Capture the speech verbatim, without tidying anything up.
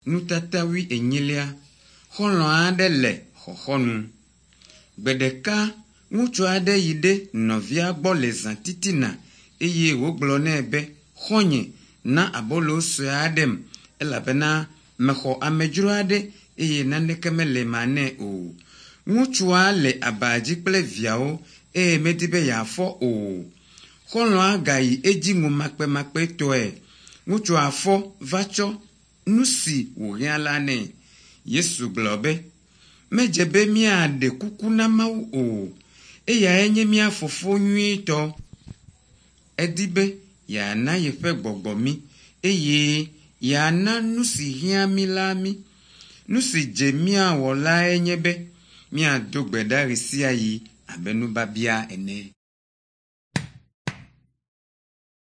Nutata wuienyilia. Xɔlɔ̃ aɖe le xɔxɔnu. Gbe ɖeka ŋutsu aɖe yi ɖe nɔvia gbɔ le zã titina eye wògblɔ nɛ be, xɔ̃nye, na abolo sue aɖem elabena mexɔ amedzro aɖe eye naneke mele manɛ o. Ŋutsua le aba dzi kple viawo eye medi be yeafɔ o. Xɔlɔ̃a gayi edzi ŋumakpemakpetɔe. Ŋutsua fɔ va tsɔ nu si wòhiã la nɛ. Yesu gblɔ be, medze be míaɖe kuku na Mawu o. Eyae nye mía Fofo nyuitɔ. Edi be yeana yeƒe gbɔgbɔ mí eye yeana nu si hiã mí la mí. Nu si dze míawɔ lae nye be míado gbe ɖa ɣesiaɣi abe nubiabia ene.